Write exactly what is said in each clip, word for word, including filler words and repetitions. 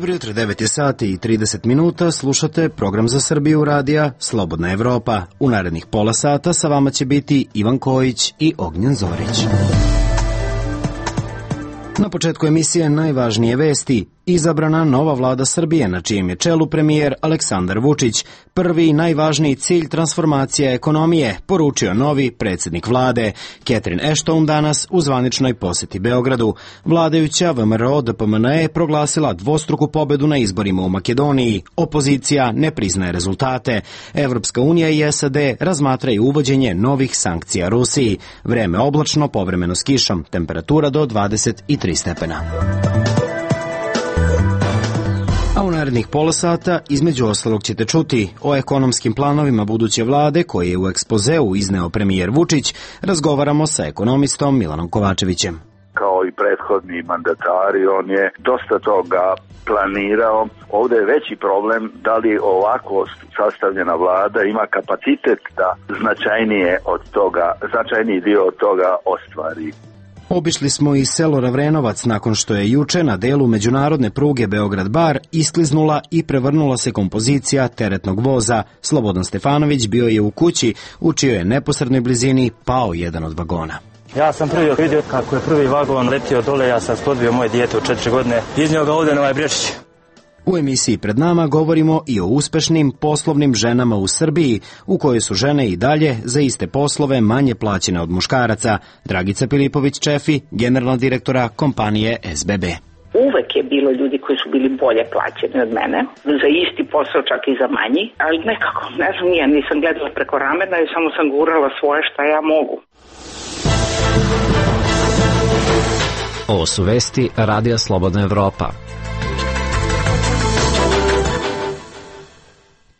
Dobro jutro, devet je sati i trideset minuta, slušate program za Srbiju radija Slobodna Evropa. U narednih pola sata sa vama će biti Ivan Kojić i Ognjen Zorić. Na početku emisije najvažnije vesti. Izabrana nova vlada Srbije, na čijem je čelu premijer Aleksandar Vučić. Prvi i najvažniji cilj transformacija ekonomije, poručio novi predsjednik vlade. Catherine Ashton danas u zvaničnoj poseti Beogradu. Vladajuća V M R O D P M N E proglasila dvostruku pobedu na izborima u Makedoniji. Opozicija ne priznaje rezultate. Evropska unija i S A D razmatraju uvođenje novih sankcija Rusiji. Vreme oblačno, povremeno s kišom. Temperatura do dvadeset tri stepena. A u narednih pola sata, između ostalog ćete čuti o ekonomskim planovima buduće vlade koje je u ekspozeu izneo premijer Vučić. Razgovaramo sa ekonomistom Milanom Kovačevićem. Kao i prethodni mandatari, on je dosta toga planirao. Ovdje je veći problem da li ovako sastavljena vlada ima kapacitet da značajnije od toga, značajniji dio od toga ostvari. Obišli smo i selo Ravrenovac nakon što je juče na delu međunarodne pruge Beograd-Bar iskliznula i prevrnula se kompozicija teretnog voza. Slobodan Stefanović bio je u kući u čijoj je neposrednoj blizini pao jedan od vagona. Ja sam prvi vidio kako je prvi vagon letio dole, ja sam sklodbio moje dijete od četiri godine, iznio ga ovdje na ovaj Brečić. U emisiji pred nama govorimo i o uspešnim poslovnim ženama u Srbiji, u kojoj su žene i dalje za iste poslove manje plaćene od muškaraca. Dragica Pilipović-Čefi, generalna direktora kompanije S B B. Uvek je bilo ljudi koji su bili bolje plaćeni od mene, za isti posao, čak i za manji, ali nekako, ne znam, ja nisam gledala preko ramena i samo sam gurala svoje šta ja mogu. Ovo su vesti Radija Slobodna Evropa.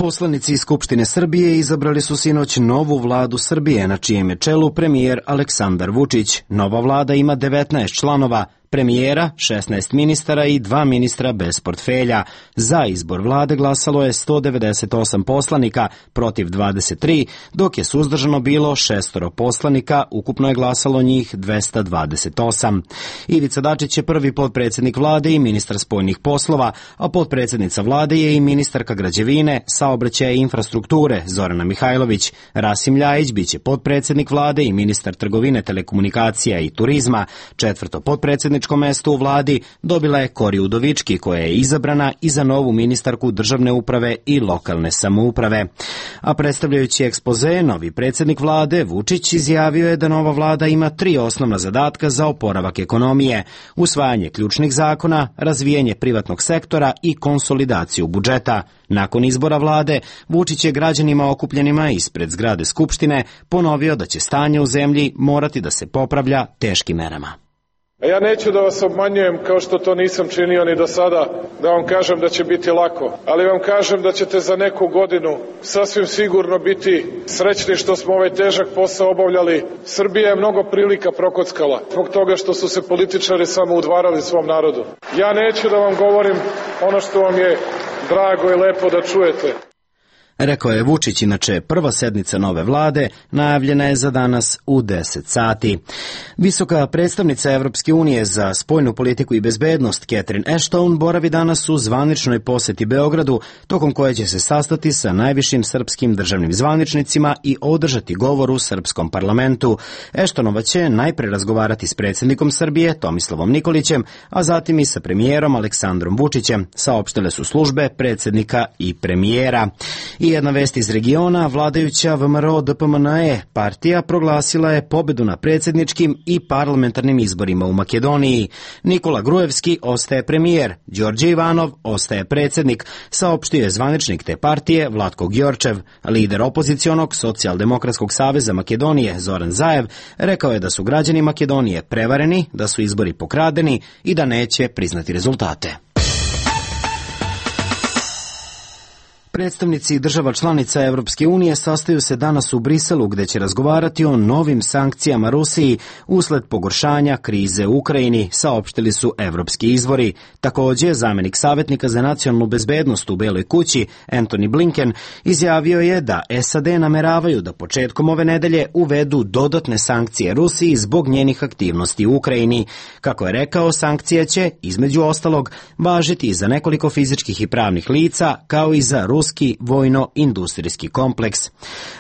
Poslanici iz Skupštine Srbije izabrali su sinoć novu vladu Srbije, na čijem je čelu premijer Aleksandar Vučić. Nova vlada ima devetnaest članova, premijera, šesnaest ministara i dva ministra bez portfelja. Za izbor vlade glasalo je sto devedeset osam poslanika, protiv dvadeset tri, dok je suzdržano bilo šestoro poslanika, ukupno je glasalo njih dvesta dvadeset osam. Ivica Dačić je prvi potpredsjednik vlade i ministar spoljnih poslova, a potpredsjednica vlade je i ministarka građevine, saobraćaja i infrastrukture Zorana Mihajlović. Rasim Ljajić biće potpredsjednik vlade i ministar trgovine, telekomunikacija i turizma. Četvrto potpredsjednik mesto u vladi dobila je Kori Udovički, koja je izabrana i za novu ministarku državne uprave i lokalne samouprave. A predstavljajući ekspoze, novi predsjednik vlade Vučić izjavio je da nova vlada ima tri osnovna zadatka za oporavak ekonomije: usvajanje ključnih zakona, razvijanje privatnog sektora i konsolidaciju budžeta. Nakon izbora vlade, Vučić je građanima okupljenima ispred zgrade Skupštine ponovio da će stanje u zemlji morati da se popravlja teškim merama. A ja neću da vas obmanjujem, kao što to nisam činio ni do sada, da vam kažem da će biti lako, ali vam kažem da ćete za neku godinu sasvim sigurno biti srećni što smo ovaj težak posao obavljali. Srbija je mnogo prilika prokockala zbog toga što su se političari samo udvarali svom narodu. Ja neću da vam govorim ono što vam je drago i lepo da čujete. Rekao je Vučić. Inače, prva sednica nove vlade najavljena je za danas u deset sati. Visoka predstavnica Evropske unije za spoljnu politiku i bezbednost Catherine Ashton boravi danas u zvaničnoj poseti Beogradu, tokom koje će se sastati sa najvišim srpskim državnim zvaničnicima i održati govor u srpskom parlamentu. Ashtonova će najpre razgovarati s predsjednikom Srbije Tomislavom Nikolićem, a zatim i sa premijerom Aleksandrom Vučićem, saopštile su službe predsjednika i premijera. I jedna vest iz regiona, vladajuća V M R O D P M N E partija proglasila je pobedu na predsjedničkim i parlamentarnim izborima u Makedoniji. Nikola Grujevski ostaje premijer, Đorđe Ivanov ostaje predsjednik, saopštio je zvaničnik te partije Vlatko Gjorčev. Lider opozicionog Socijaldemokratskog saveza Makedonije Zoran Zaev rekao je da su građani Makedonije prevareni, da su izbori pokradeni i da neće priznati rezultate. Predstavnici država članica Evropske unije sastaju se danas u Briselu gde će razgovarati o novim sankcijama Rusiji usled pogoršanja krize u Ukrajini, saopštili su evropski izvori. Takođe, zamenik savjetnika za nacionalnu bezbednost u Beloj kući, Antony Blinken, izjavio je da S A D nameravaju da početkom ove nedelje uvedu dodatne sankcije Rusiji zbog njenih aktivnosti u Ukrajini. Kako je rekao, sankcije će, između ostalog, važiti za nekoliko fizičkih i pravnih lica, kao i za ruski vojno-industrijski kompleks.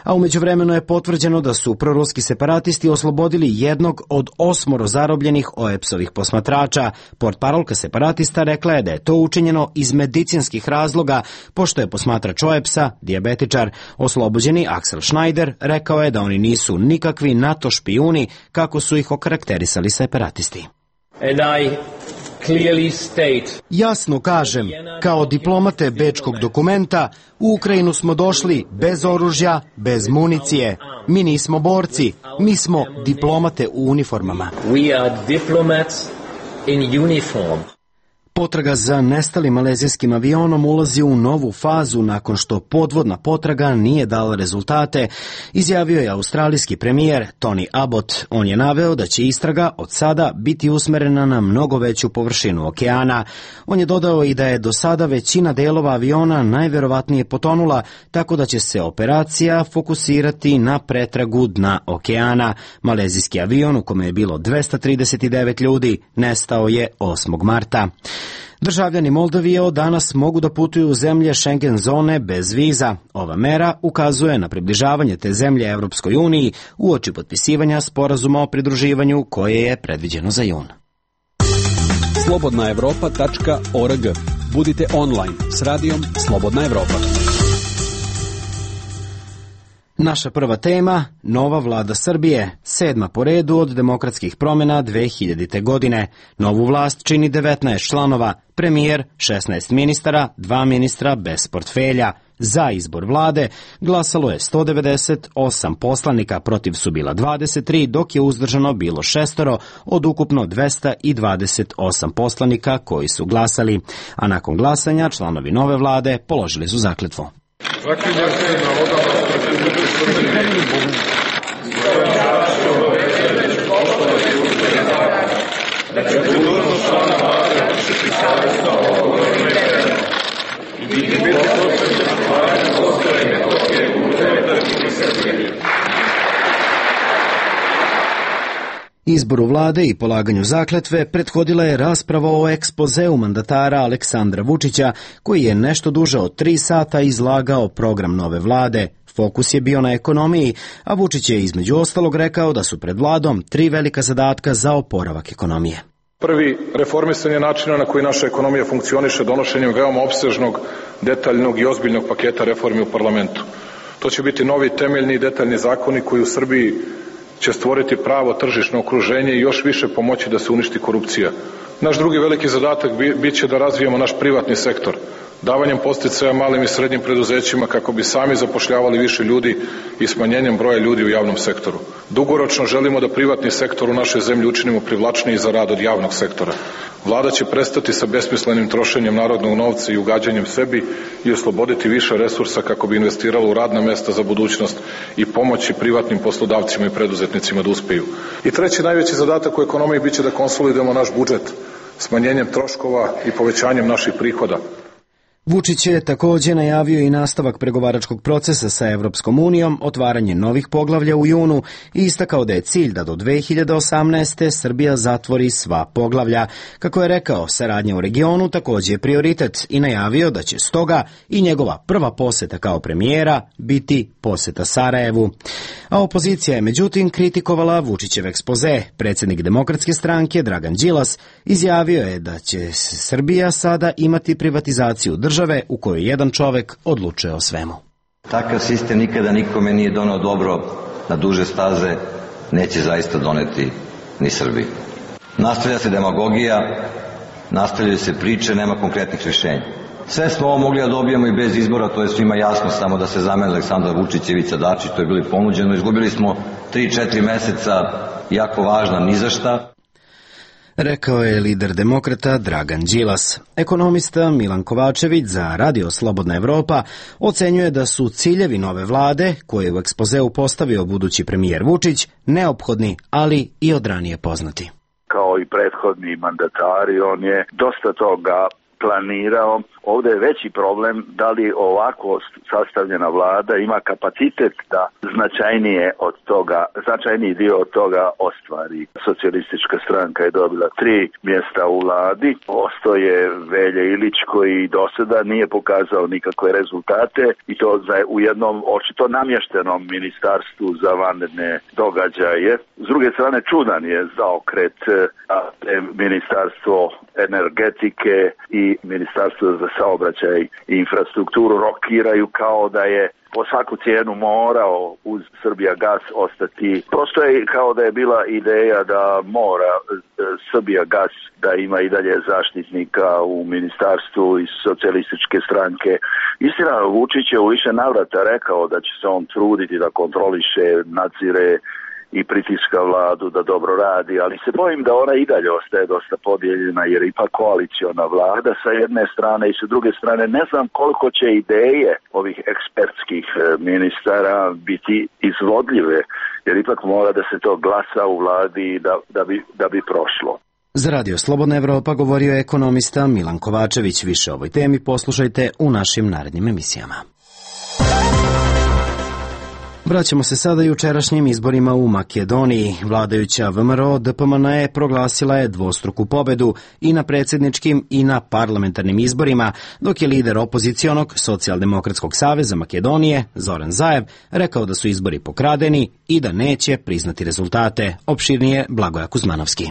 A umeđu vremenu je potvrđeno da su proruski separatisti oslobodili jednog od osmoro zarobljenih O E P S-ovih posmatrača. Portparolka separatista rekla je da je to učinjeno iz medicinskih razloga, pošto je posmatrač O E P S-a, dijabetičar. Oslobođeni Axel Schneider rekao je da oni nisu nikakvi NATO špijuni, kako su ih okarakterisali separatisti. And I clearly state, jasno kažem, kao diplomate bečkog dokumenta, u Ukrajinu smo došli bez oružja, bez municije. Mi nismo borci, mi smo diplomate u uniformama. We are diplomats in uniform. Potraga za nestalim malezijskim avionom ulazi u novu fazu nakon što podvodna potraga nije dala rezultate, izjavio je australijski premijer Tony Abbott. On je naveo da će istraga od sada biti usmerena na mnogo veću površinu okeana. On je dodao i da je do sada većina delova aviona najverovatnije potonula, tako da će se operacija fokusirati na pretragu dna okeana. Malezijski avion, u kome je bilo dvesta trideset devet ljudi, nestao je osmog marta. Državljani Moldavije od danas mogu da putuju u zemlje Schengen zone bez viza. Ova mera ukazuje na približavanje te zemlje Evropskoj uniji uoči potpisivanja sporazuma o pridruživanju koje je predviđeno za jun. slobodna evropa tačka org. Budite online s radijom Slobodna Evropa. Naša prva tema, nova vlada Srbije, sedma po redu od demokratskih promjena dve hiljadite. godine. Novu vlast čini devetnaest članova, premijer, šesnaest ministara, dva ministra bez portfelja. Za izbor vlade glasalo je sto devedeset osam poslanika, protiv su bila dvadeset tri, dok je uzdržano bilo šestoro od ukupno dvesta dvadeset osam poslanika koji su glasali. A nakon glasanja članovi nove vlade položili su zakletvu. Zaklinjem se na odanost Republike Srbije da ću dužnost člana vlade vršiti savjesno, odgovorno i biti posvećen stvaranju Kosova i Metohije u unutrašnjosti Republike Srbije. Izboru vlade i polaganju zakletve prethodila je rasprava o ekspozeu mandatara Aleksandra Vučića, koji je nešto duže od tri sata izlagao program nove vlade. Fokus je bio na ekonomiji, a Vučić je između ostalog rekao da su pred vladom tri velika zadatka za oporavak ekonomije. Prvi, reformisanje načina na koji naša ekonomija funkcioniše donošenjem veoma opsežnog, detaljnog i ozbiljnog paketa reformi u parlamentu. To će biti novi temeljni i detaljni zakoni koji u Srbiji će stvoriti pravo tržišno okruženje i još više pomoći da se uništi korupcija. Naš drugi veliki zadatak bit će da razvijemo naš privatni sektor, davanjem podsticaja malim i srednjim preduzećima kako bi sami zapošljavali više ljudi i smanjenjem broja ljudi u javnom sektoru. Dugoročno želimo da privatni sektor u našoj zemlji učinimo privlačniji za rad od javnog sektora. Vlada će prestati sa besmislenim trošenjem narodnog novca i ugađanjem sebi i osloboditi više resursa kako bi investirala u radna mesta za budućnost i pomoći privatnim poslodavcima i preduzetnicima da uspeju. I treći najveći zadatak u ekonomiji biće da konsolidujemo naš budžet smanjenjem troškova i povećanjem naših prihoda. Vučić je također najavio i nastavak pregovaračkog procesa sa Evropskom unijom, otvaranje novih poglavlja u junu i istakao da je cilj da do dve hiljade osamnaeste. Srbija zatvori sva poglavlja. Kako je rekao, saradnja u regionu također je prioritet i najavio da će stoga i njegova prva poseta kao premijera biti poseta Sarajevu. A opozicija je međutim kritikovala Vučićev ekspoze. Predsjednik Demokratske stranke Dragan Đilas izjavio je da će Srbija sada imati privatizaciju države u kojoj jedan čovek odlučuje o svemu. Takav sistem nikada nikome nije doneo dobro na duže staze, neće zaista doneti ni Srbiji. Nastavlja se demagogija, nastavljaju se priče, nema konkretnih rješenja. Sve smo ovo mogli da dobijemo i bez izbora, to je svima jasno, samo da se zamene Aleksandar Vučić i Ivica Dačić, to je bilo ponuđeno. Izgubili smo tri četiri meseca jako važna ni za šta. rekao je lider demokrata Dragan Đilas. Ekonomista Milan Kovačević za Radio Slobodna Evropa ocenjuje da su ciljevi nove vlade, koje je u ekspozeu postavio budući premijer Vučić, neophodni, ali i od ranije poznati. Kao i prethodni mandatari, on je dosta toga planirao. Ovdje je veći problem da li ovako sastavljena vlada ima kapacitet da značajnije od toga, značajniji dio od toga ostvari. Socijalistička stranka je dobila tri mjesta u vladi. Ostao je Velja Ilić koji do sada nije pokazao nikakve rezultate i to za u jednom očito namještenom ministarstvu za vanredne događaje. S druge strane čudan je zaokret ministarstvo energetike i ministarstvo za saobraćaj i infrastrukturu rokiraju kao da je po svaku cijenu morao uz Srbijagas ostati. Prosto je kao da je bila ideja da mora Srbijagas da ima i dalje zaštitnika u ministarstvu iz socijalističke stranke. Istina, Vučić je u više navrata rekao da će se on truditi da kontroliše, nadzire i pritiska vladu da dobro radi, ali se bojim da ona i dalje ostaje dosta podijeljena jer ipak koaliciona vlada sa jedne strane i sa druge strane ne znam koliko će ideje ovih ekspertskih ministara biti izvodljive jer ipak mora da se to glasa u vladi da, da, bi, da bi prošlo. Za Radio Slobodna Evropa govorio je ekonomista Milan Kovačević. Više o ovoj temi poslušajte u našim narednim emisijama. Vraćamo se sada jučerašnjim izborima u Makedoniji. Vladajuća V M R O D P M N E proglasila je dvostruku pobedu i na predsjedničkim i na parlamentarnim izborima, dok je lider opozicionog Socijaldemokratskog saveza Makedonije, Zoran Zaev, rekao da su izbori pokradeni i da neće priznati rezultate. Opširnije Blagoja Kuzmanovski.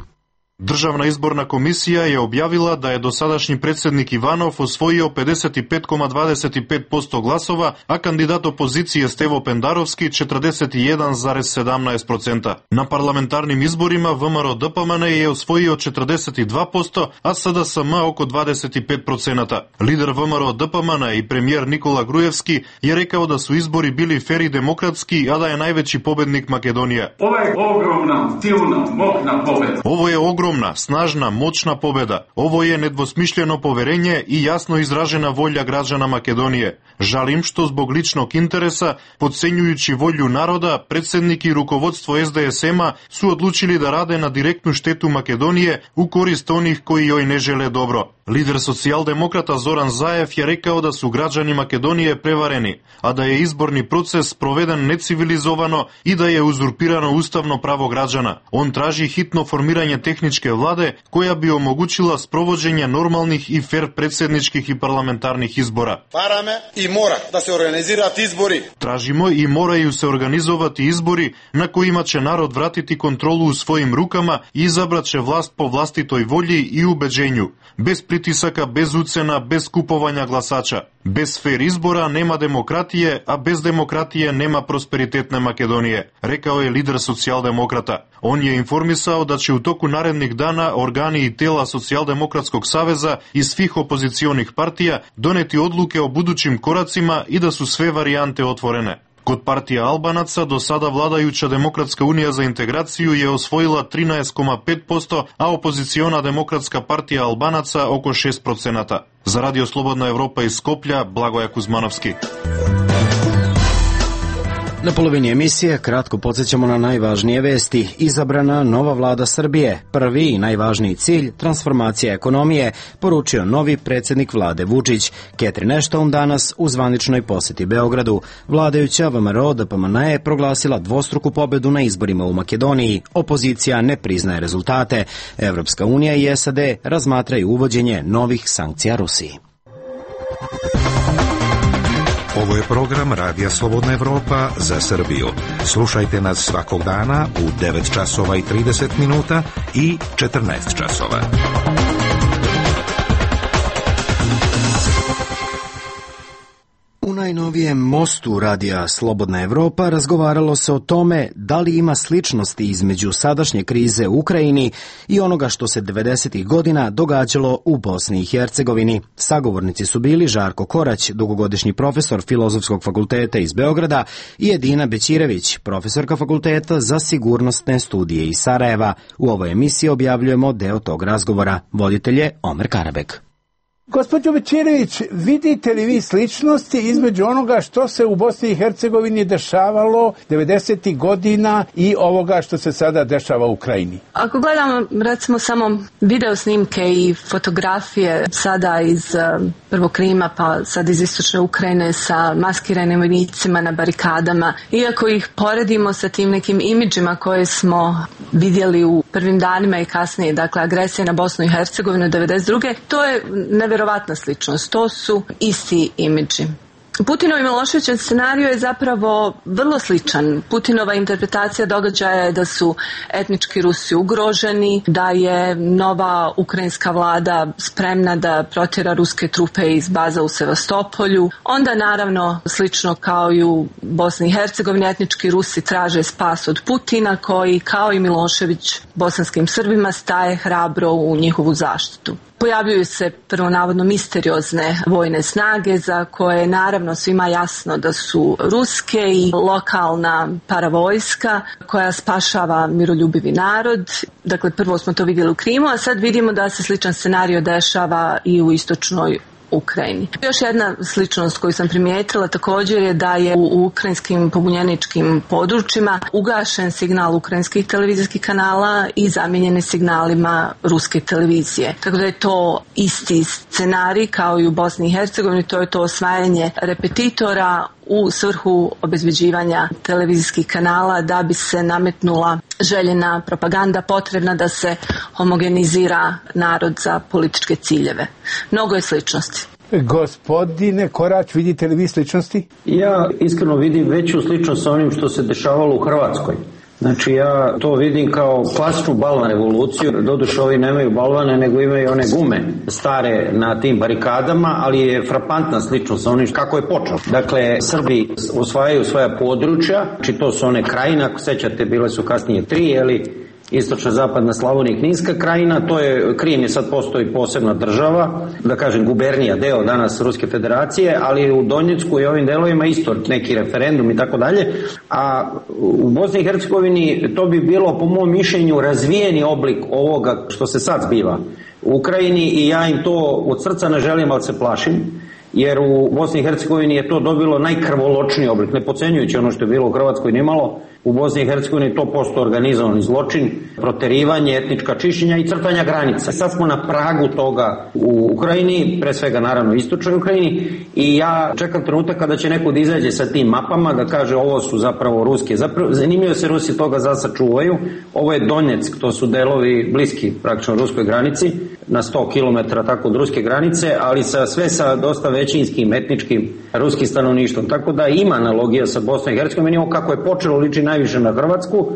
Državna izborna komisija je objavila da je dosadašnji predsjednik Ivanov osvojio pedeset pet zarez dvadeset pet posto glasova, a kandidat opozicije Stevo Pendarovski četrdeset jedan zarez sedamnaest posto. Na parlamentarnim izborima V M R O D P M N je osvojio četrdeset dva posto, a S D S M oko dvadeset pet posto. Lider V M R O D P M N i premijer Nikola Grujevski je rekao da su izbori bili fer i demokratski, a da je najveći pobednik Makedonija. Ovo je ogromna, silna, moćna pobeda. Ovo je ogromna Ogromna, snažna, moćna pobeda. Ovo je nedvosmišljeno poverenje i jasno izražena volja građana Makedonije. Žalim što zbog ličnog interesa, podcenjujući volju naroda, predsjednik i rukovodstvo S D S M-a su odlučili da rade na direktnu štetu Makedonije u korist onih koji joj ne žele dobro. Lider socijaldemokrata Zoran Zaev je rekao da su građani Makedonije prevareni, a da je izborni proces proveden necivilizovano i da je uzurpirano ustavno pravo građana. On traži hitno formiranje tehničke vlade koja bi omogućila sprovođenje normalnih i fer predsjedničkih i parlamentarnih izbora. Parame i mora da se organizirati izbori. Tražimo i moraju se organizovati izbori na kojima će narod vratiti kontrolu u svojim rukama i izabrat će vlast po vlastitoj volji i ubeđenju. Bez pritisaka, bez ucena, bez kupovanja glasača. Bez fer izbora nema demokratije, a bez demokratije nema prosperitetne Makedonije, rekao je lider socijaldemokrata. On je informisao da će u toku narednih dana organi i tela Socijaldemokratskog saveza i svih opozicionih partija doneti odluke o budućim koracima i da su sve varijante otvorene. Kod partija Albanaca do sada vladajuća Demokratska unija za integraciju je osvojila trinaest zarez pet posto, a opoziciona Demokratska partija Albanaca oko šest posto. Za Radio Slobodna Evropa iz Skoplja, Blagoja Kuzmanovski. Na polovini emisije kratko podsjećamo na najvažnije vesti. Izabrana nova vlada Srbije. Prvi i najvažniji cilj, transformacija ekonomije, poručio novi predsjednik vlade Vučić. Catherine Ashton danas u zvaničnoj posjeti Beogradu. Vladajuća V M R O D P M N je proglasila dvostruku pobedu na izborima u Makedoniji. Opozicija ne priznaje rezultate. Evropska unija i S A D razmatraju uvođenje novih sankcija Rusiji. Ovo je program Radija Slobodna Evropa za Srbiju. Slušajte nas svakog dana u devet časova i trideset minuta i četrnaest časova. U najnovijem mostu radija Slobodna Evropa razgovaralo se o tome da li ima sličnosti između sadašnje krize u Ukrajini i onoga što se devedesetih godina događalo u Bosni i Hercegovini. Sagovornici su bili Žarko Korać, dugogodišnji profesor Filozofskog fakulteta iz Beograda, i Edina Bećirević, profesorka Fakulteta za sigurnosne studije iz Sarajeva. U ovoj emisiji objavljujemo deo tog razgovora. Voditelj je Omer Karabek. Gospođo Bećirević, vidite li vi sličnosti između onoga što se u Bosni i Hercegovini dešavalo devedesetih godina i ovoga što se sada dešava u Ukrajini? Ako gledamo recimo samo video snimke i fotografije sada iz prvog Krima pa sad iz istočne Ukrajine sa maskiranim vojnicima na barikadama, iako ih poredimo sa tim nekim imidžima koje smo vidjeli u prvim danima i kasnije, dakle agresija na Bosnu i Hercegovinu devedeset druge. to je nevjerovatna sličnost, to su isti imidži. Putinov i Miloševićev scenariju je zapravo vrlo sličan. Putinova interpretacija događaja je da su etnički Rusi ugroženi, da je nova ukrajinska vlada spremna da protjera ruske trupe iz baza u Sevastopolju. Onda naravno, slično kao i u Bosni i Hercegovini, etnički Rusi traže spas od Putina, koji kao i Milošević bosanskim Srbima staje hrabro u njihovu zaštitu. Pojavljuju se prvo navodno misteriozne vojne snage za koje je naravno svima jasno da su ruske i lokalna paravojska koja spašava miroljubivi narod. Dakle, prvo smo to vidjeli u Krimu, a sad vidimo da se sličan scenario dešava i u istočnoj Ukrajini. Još jedna sličnost koju sam primijetila također je da je u ukrajinskim pobunjeničkim područjima ugašen signal ukrajinskih televizijskih kanala i zamijenjen signalima ruske televizije. Tako da je to isti scenarij kao i u Bosni i Hercegovini, to je to osvajanje repetitora u svrhu obezbeđivanja televizijskih kanala da bi se nametnula željena propaganda potrebna da se homogenizira narod za političke ciljeve. Mnogo je sličnosti. Gospodine Korać, vidite li vi sličnosti? Ja iskreno vidim veću sličnost sa onim što se dešavalo u Hrvatskoj. Znači ja to vidim kao klasičnu balvan revoluciju, doduše ovi nemaju balvane nego imaju one gume stare na tim barikadama, ali je frapantna sličnost sa onim kako je počelo. Dakle, Srbi osvajaju svoja područja, znači to su one krajine, ako sećate bile su kasnije tri, jeli, istočna, zapadna Slavonija i Kninska krajina, to je, Krim je sad postoji posebna država, da kažem gubernija, deo danas Ruske federacije, ali u Donjecku i ovim delovima isto neki referendum i tako dalje, a u Bosni i Hercegovini to bi bilo po mom mišljenju razvijeni oblik ovoga što se sad zbiva u Ukrajini i ja im to od srca ne želim, ali se plašim, jer u Bosni i Hercegovini je to dobilo najkrvoločniji oblik, ne podcenjujući ono što je bilo u Hrvatskoj nimalo. U Bosni i Hercegovini to postoji organizovani zločin, proterivanje, etnička čišćenja i crtanja granica. Sad smo na pragu toga u Ukrajini, pre svega naravno istočnoj Ukrajini, i ja čekam trenutak kada će neko da izađe sa tim mapama, da kaže ovo su zapravo ruske. Zapravo, zanimljivo se Rusi toga zasa čuvaju. Ovo je Donjeck, to su delovi bliski praktično ruskoj granici, na sto kilometara tako od ruske granice, ali sa, sve sa dosta većinskim, etničkim ruskim stanovništvom. Tako da ima analogija sa Bosnom i Hercegovinom, kako je počelo liči najviše na Hrvatsku,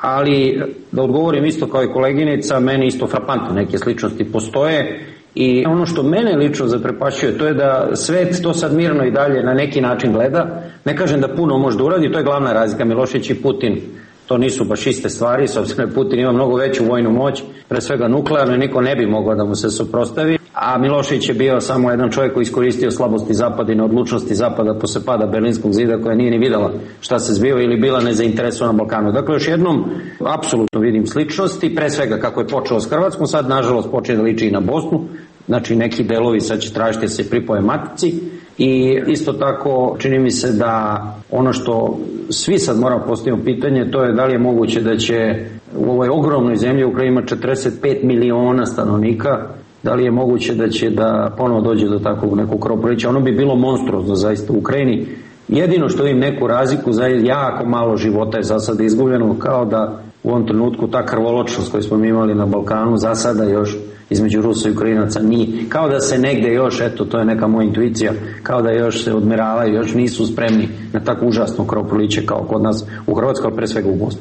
ali da odgovorim isto kao i koleginica, meni isto frapantno neke sličnosti postoje i ono što mene lično zaprepašćuje to je da svet to sad mirno i dalje na neki način gleda. Ne kažem da puno može da uradi, to je glavna razlika. Milošević i Putin, to nisu baš iste stvari, s obzirom da Putin ima mnogo veću vojnu moć, pre svega nuklearno, niko ne bi mogao da mu se suprotstavi, a Milošević je bio samo jedan čovjek koji iskoristio slabosti Zapada i neodlučnosti Zapada posle pada Berlinskog zida, koja nije ni videla šta se zbiva ili bila nezainteresovana na Balkanu. Dakle, još jednom, apsolutno vidim sličnosti, pre svega kako je počelo s Hrvatskom, sad nažalost počne da liči i na Bosnu, znači neki delovi sad će tražiti da se pripoje matici i isto tako čini mi se da ono što svi sad moramo postaviti pitanje, to je da li je moguće da će u ovoj ogromnoj zemlji u kojoj ima četrdeset pet miliona stanovnika, da li je moguće da će da ponovo dođe do takvog nekog krvoprolića. Ono bi bilo monstruozno zaista u Ukrajini. Jedino što im neku razliku, za jako malo života je za sada izgubljeno, kao da u ovom trenutku ta krvoločnost koju smo imali na Balkanu za sada još između Rusa i Ukrajinaca nije. Kao da se negde još, eto to je neka moja intuicija, kao da još se odmeravaju, još nisu spremni na tako užasno krvoproliće kao kod nas u Hrvatskoj, pre svega u Bosni.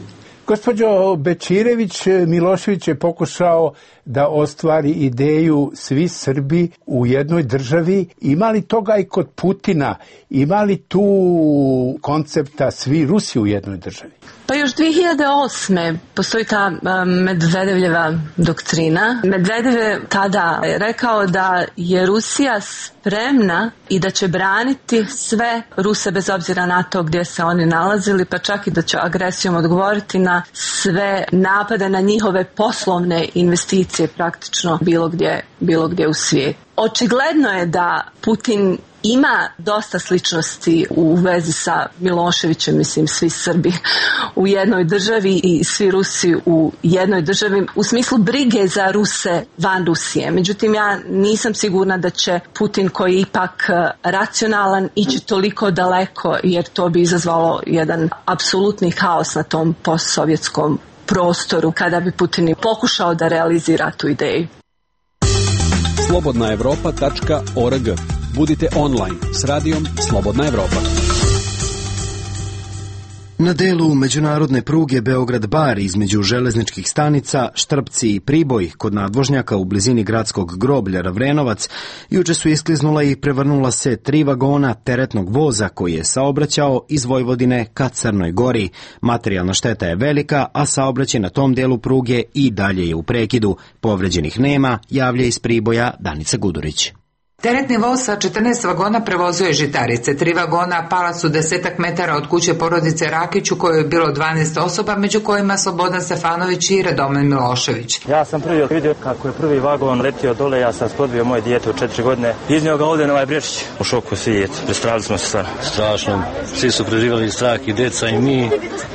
Gospođo Bečirević, Milošević je pokušao da ostvari ideju svi Srbi u jednoj državi. Ima li toga i kod Putina? Ima li tu koncepta svi Rusi u jednoj državi? Pa još dvije hiljade osme postoji ta Medvedevljeva doktrina. Medvedev je tada rekao da je Rusija spremna i da će braniti sve Ruse bez obzira na to gdje se oni nalazili, pa čak i da će agresijom odgovoriti na sve napade na njihove poslovne investicije praktično bilo gdje, bilo gdje u svijetu. Očigledno je da Putin ima dosta sličnosti u vezi sa Miloševićem, mislim svi Srbi u jednoj državi i svi Rusi u jednoj državi u smislu brige za Ruse van Rusije. Međutim, ja nisam sigurna da će Putin, koji je ipak racionalan, ići toliko daleko, jer to bi izazvalo jedan apsolutni haos na tom postsovjetskom prostoru kada bi Putin pokušao da realizira tu ideju. slobodna evropa tačka org. Budite online s radijom Slobodna Evropa. Na delu međunarodne pruge Beograd-Bar između železničkih stanica Štrpci i Priboj kod nadvožnjaka u blizini gradskog groblja Ravrenovac juče su iskliznula i prevrnula se tri vagona teretnog voza koji je saobraćao iz Vojvodine ka Crnoj Gori. Materijalna šteta je velika, a saobraćaj na tom delu pruge i dalje je u prekidu. Povređenih nema, javlja iz Priboja Danica Gudurić. Teretni voz sa četrnaest vagona prevozio je žitarice. Tri vagona pala su desetak metara od kuće porodice Rakić u kojoj je bilo dvanaest osoba, među kojima Slobodan Stefanović i Radomen Milošević. Ja sam prvi vidio kako je prvi vagon letio dole, ja sam skodbio moje dijete od četiri godine. Iznio ga ovdje na ovaj Brešić. U šoku svi, prestrali smo se stvarno. Strašno. Svi su preživjeli strah, i deca i mi.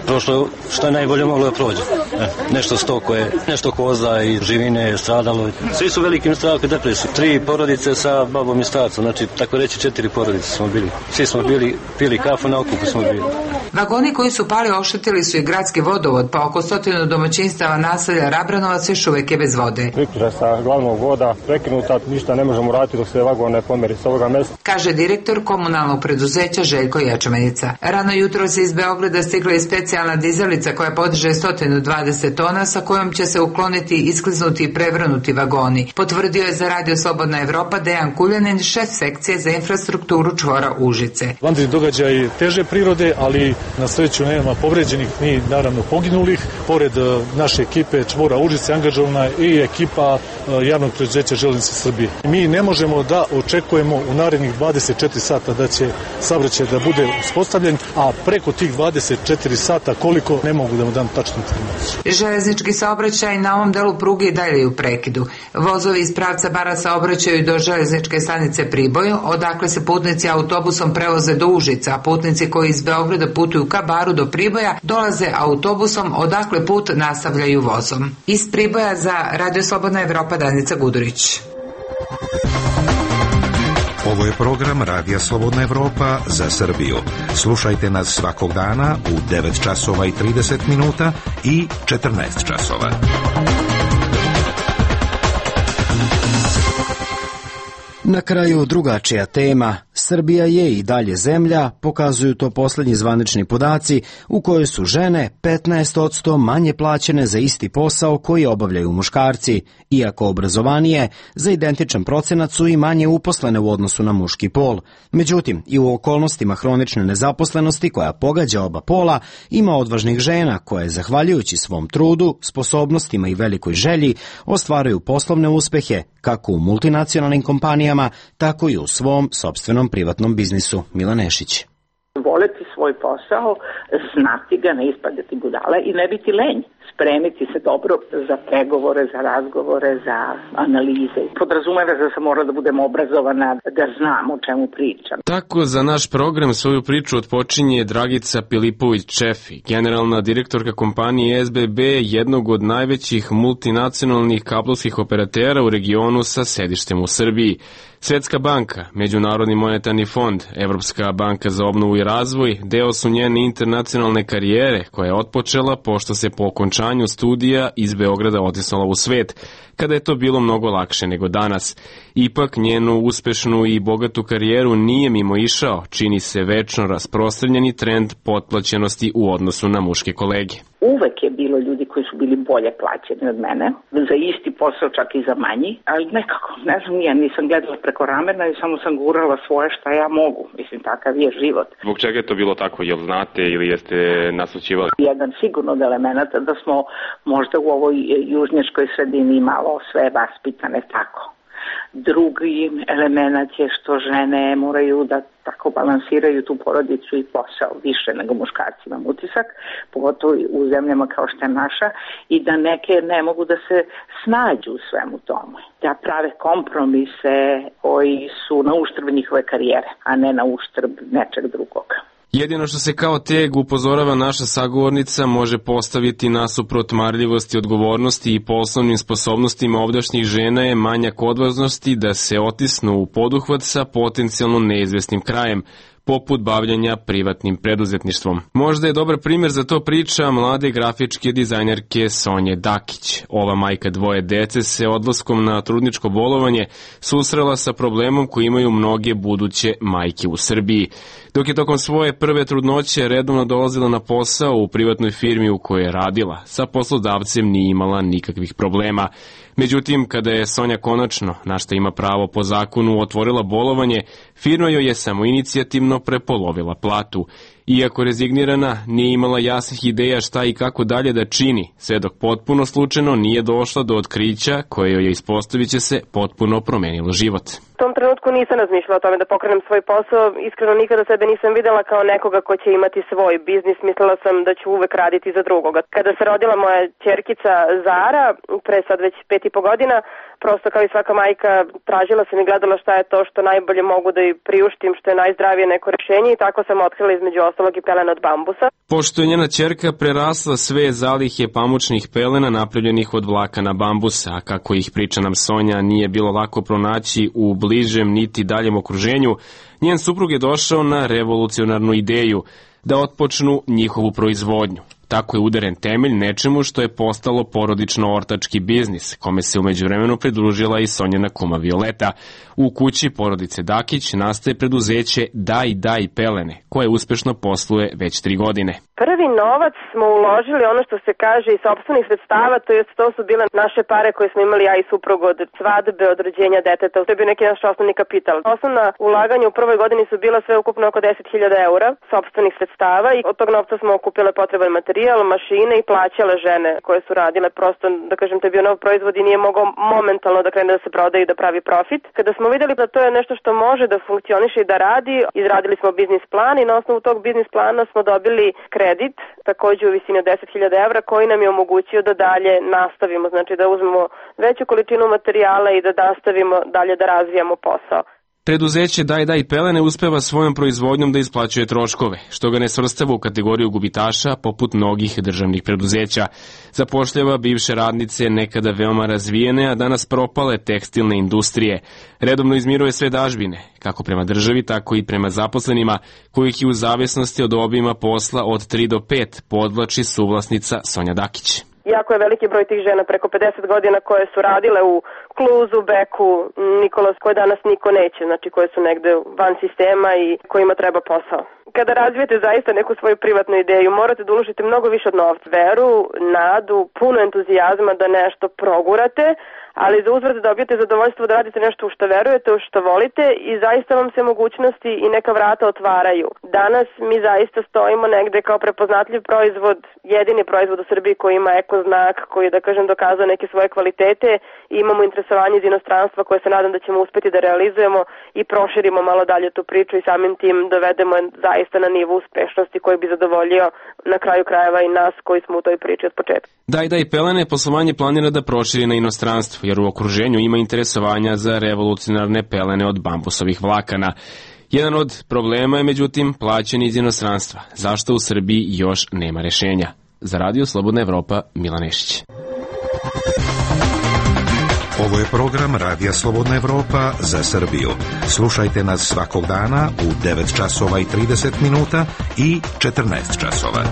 Prošlo što je najbolje moglo da prođe. E, nešto stoko je, nešto koza i živine je stradalo. Svi su velikim strahom i depresiju. Tri porodice sa babom i starcom, znači tako reći četiri porodice smo bili. Svi smo bili, pili kafu, na okupu smo bili. Vagoni koji su pali oštetili su i gradski vodovod, pa oko stotinu domaćinstava naselja Rabranovac još uvijek je bez vode. Priključak sa glavnog voda prekinuta, ništa ne možemo raditi dok se vagon ne pomeri s ovoga mesta. Kaže direktor komunalnog preduzeća Željko Ječmenica. Rano jutro se iz Beograda stigla i specijalna dizelica koja podiže sto dvadeset tona sa kojom će se ukloniti, iskliznuti i prevrnuti vagoni. Potvrdio je za Radio Slobodna Evropa Dejan Kuljanin, šef sekcije za infrastrukturu čvora Užice. Vanredni događaj teže prirode, ali na sreću nema povređenih ni naravno poginulih. Pored naše ekipe čvora Užice angažovana i ekipa javnog preduzeća Železnice Srbije. Mi ne možemo da očekujemo u narednih dvadeset četiri sata da će saobraćaj da bude uspostavljen, a preko tih dvadeset četiri sata koliko ne mogu da mu dam tačnu informaciju. Železnički saobraćaj na ovom delu pruge i dalje u prekidu. Vozovi iz pravca Bara saobraćaju do železničke stanice Priboj, odakle se putnici autobusom prevoze do Užica, a putnici koji iz Beograda putuju ka Baru do Priboja dolaze autobusom, odakle put nastavljaju vozom. Iz Priboja za Radio Slobodna Evropa Danica Gudurić. Ovo je program Radija Slobodna Evropa za Srbiju. Slušajte nas svakog dana u devet časova i trideset minuta i četrnaest časova. Na kraju drugačija tema. Srbija je i dalje zemlja, pokazuju to posljednji zvanični podaci, u kojoj su žene petnaest posto manje plaćene za isti posao koji obavljaju muškarci, iako obrazovanije, za identičan procenat su i manje uposlene u odnosu na muški pol. Međutim, i u okolnostima hronične nezaposlenosti koja pogađa oba pola, ima odvažnih žena koje, zahvaljujući svom trudu, sposobnostima i velikoj želji, ostvaruju poslovne uspehe kako u multinacionalnim kompanijama, tako i u svom sopstvenom privatnom biznisu. Mila Nešić. Voleti svoj posao, znati ga, ne ispadati budale i ne biti lenj. Spremiti se dobro za pregovore, za razgovore, za analize. Podrazumeva da sam mora da budem obrazovana, da znam o čemu pričam. Tako za naš program svoju priču otpočinje Dragica Pilipović-Čefi, generalna direktorka kompanije S B B, jednog od najvećih multinacionalnih kablovskih operatera u regionu sa sedištem u Srbiji. Svetska banka, Međunarodni monetarni fond, Evropska banka za obnovu i razvoj deo su njene internacionalne karijere koja je otpočela pošto se po okončanju studija iz Beograda otisnula u svet. kada je to bilo mnogo lakše nego danas. Ipak njenu uspešnu i bogatu karijeru nije mimo išao, čini se večno rasprostranjeni trend potplaćenosti u odnosu na muške kolege. Uvek je bilo ljudi koji su bili bolje plaćeni od mene, za isti posao čak i za manji, ali nekako, ne znam, ja nisam gledala preko ramena i samo sam gurala svoje šta ja mogu. Mislim, takav je život. Zbog čega je to bilo tako? Jel znate ili jeste naslućivali? Jedan sigurno od elemenata da smo možda u ovoj južnjačkoj sredini malo sve vaspitane tako. Drugi element je što žene moraju da tako balansiraju tu porodicu i posao više nego muškarci, imam utisak, pogotovo u zemljama kao što je naša, i da neke ne mogu da se snađu u svemu tomu, da prave kompromise koji su na uštrb njihove karijere, a ne na uštrb nečeg drugog. Jedino što se kao teg upozorava naša sagovornica može postaviti nasuprot marljivosti, odgovornosti i poslovnim sposobnostima ovdašnjih žena je manjak odvažnosti da se otisnu u poduhvat sa potencijalno neizvesnim krajem, poput bavljanja privatnim preduzetništvom. Možda je dobar primjer za to priča mlade grafičke dizajnerke Sonje Dakić. Ova majka dvoje dece se odlaskom na trudničko bolovanje susrela sa problemom koji imaju mnoge buduće majke u Srbiji. Dok je tokom svoje prve trudnoće redovno dolazila na posao u privatnoj firmi u kojoj je radila, sa poslodavcem nije imala nikakvih problema. Međutim, kada je Sonja konačno, na što ima pravo po zakonu, otvorila bolovanje, firma joj je samoinicijativno prepolovila platu. Iako rezignirana, nije imala jasnih ideja šta i kako dalje da čini, sve dok potpuno slučajno nije došla do otkrića koje joj je, ispostavit će se, potpuno promenilo život. U tom trenutku nisam razmišljala o tome da pokrenem svoj posao, iskreno nikada sebe nisam videla kao nekoga ko će imati svoj biznis, mislila sam da ću uvek raditi za drugoga. Kada se rodila moja ćerkica Zara, pre sad već pet i po godina, prosto kao i svaka majka tražila sam i gledala šta je to što najbolje mogu da joj priuštim, što je najzdravije neko rešenje, i tako sam otkrila između ostalog i pelene od bambusa. Pošto je njena ćerka prerasla sve zalihe pamučnih pelena napravljenih od vlakana bambusa, a kako ih priča nam Sonja nije bilo lako pronaći u bližem niti daljem okruženju, njen suprug je došao na revolucionarnu ideju da otpočnu njihovu proizvodnju. Tako je udaren temelj nečemu što je postalo porodično-ortački biznis, kome se umeđu vremenu pridružila i Sonjena kuma Violeta. U kući porodice Dakić nastaje preduzeće Daj Daj pelene, koje uspešno posluje već tri godine. Prvi novac smo uložili, ono što se kaže, iz sopstvenih sredstava, to jest to su bile naše pare koje smo imali ja i suprug od svadbe, od rođenja deteta. To je bio neki naš osnovni kapital. Osnovna ulaganja u prvoj godini su bila sve ukupno oko deset hiljada eura sopstvenih sredstava i od tog novca smo okupile potreban materijal, mašine i plaćale žene koje su radile. Prosto, da kažem, to je bio nov proizvod i nije mogao momentalno da krene da se prodaje i da pravi profit. Kada smo videli da to je nešto što može da funkcioniše i da radi, izradili smo biznis plan i na osnovu tog biznis plana smo dobili kredit, takođe u visini od deset hiljada evra, koji nam je omogućio da dalje nastavimo, znači da uzmemo veću količinu materijala i da nastavimo dalje da razvijamo posao. Preduzeće Daj Daj pelene uspeva svojom proizvodnjom da isplaćuje troškove, što ga ne svrstava u kategoriju gubitaša poput mnogih državnih preduzeća. Zapošljava bivše radnice nekada veoma razvijene, a danas propale tekstilne industrije. Redovno izmiruje sve dažbine, kako prema državi, tako i prema zaposlenima, kojih je u zavisnosti od obima posla od tri do pet podvlači suvlasnica Sonja Dakić. Jako je veliki broj tih žena, preko pedeset godina, koje su radile u Kluzu, Beku, Nikolas, koje danas niko neće, znači koje su negde van sistema i kojima treba posao. Kada razvijete zaista neku svoju privatnu ideju, morate da uložite mnogo više od novca. Veru, nadu, puno entuzijazma da nešto progurate, ali za uzvrat da dobijete zadovoljstvo da radite nešto u što verujete, u što volite, i zaista vam se mogućnosti i neka vrata otvaraju. Danas mi zaista stojimo negde kao prepoznatljiv proizvod, jedini proizvod u Srbiji koji ima eko znak, koji je, da kažem, dokazao neke svoje kvalitete, i imamo interesovanje iz inostranstva koje se nadam da ćemo uspeti da realizujemo i proširimo malo dalje tu priču i samim tim dovedemo zaista na nivo uspešnosti koji bi zadovoljio na kraju krajeva i nas koji smo u toj priči od početka. Daj Daj pelene poslovanje planira da proširi na inostranstvo, jer u okruženju ima interesovanja za revolucionarne pelene od bambusovih vlakana. Jedan od problema je, međutim, plaćanje iz inostranstva. Zašto u Srbiji još nema rešenja? Za Radio Slobodna Evropa, Milan Nešić. Ovo je program Radija Slobodna Evropa za Srbiju. Slušajte nas svakog dana u devet časova i trideset minuta i četrnaest časova.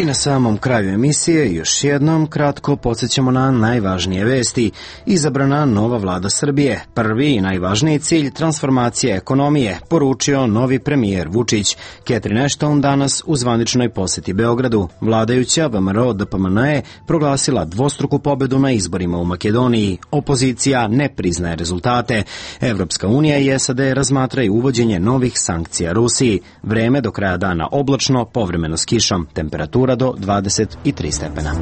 I na samom kraju emisije još jednom kratko podsjećamo na najvažnije vesti. Izabrana nova vlada Srbije. Prvi i najvažniji cilj transformacije ekonomije, poručio novi premijer Vučić. Catherine Ashton danas u zvaničnoj poseti Beogradu. Vladajuća V M R O D P M N E proglasila dvostruku pobedu na izborima u Makedoniji. Opozicija ne priznaje rezultate. Evropska unija i S A D razmatraju uvođenje novih sankcija Rusiji. Vreme do kraja dana oblačno, povremeno s kišom. Temperatura do dvadeset tri stepena.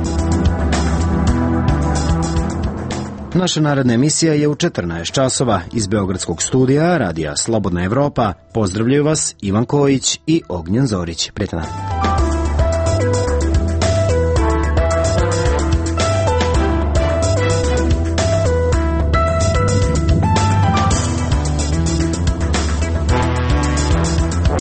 Naša naredna emisija je u četrnaest časova. Iz Beogradskog studija Radija Slobodna Evropa pozdravljaju vas Ivan Kojić i Ognjen Zorić. Prijetno.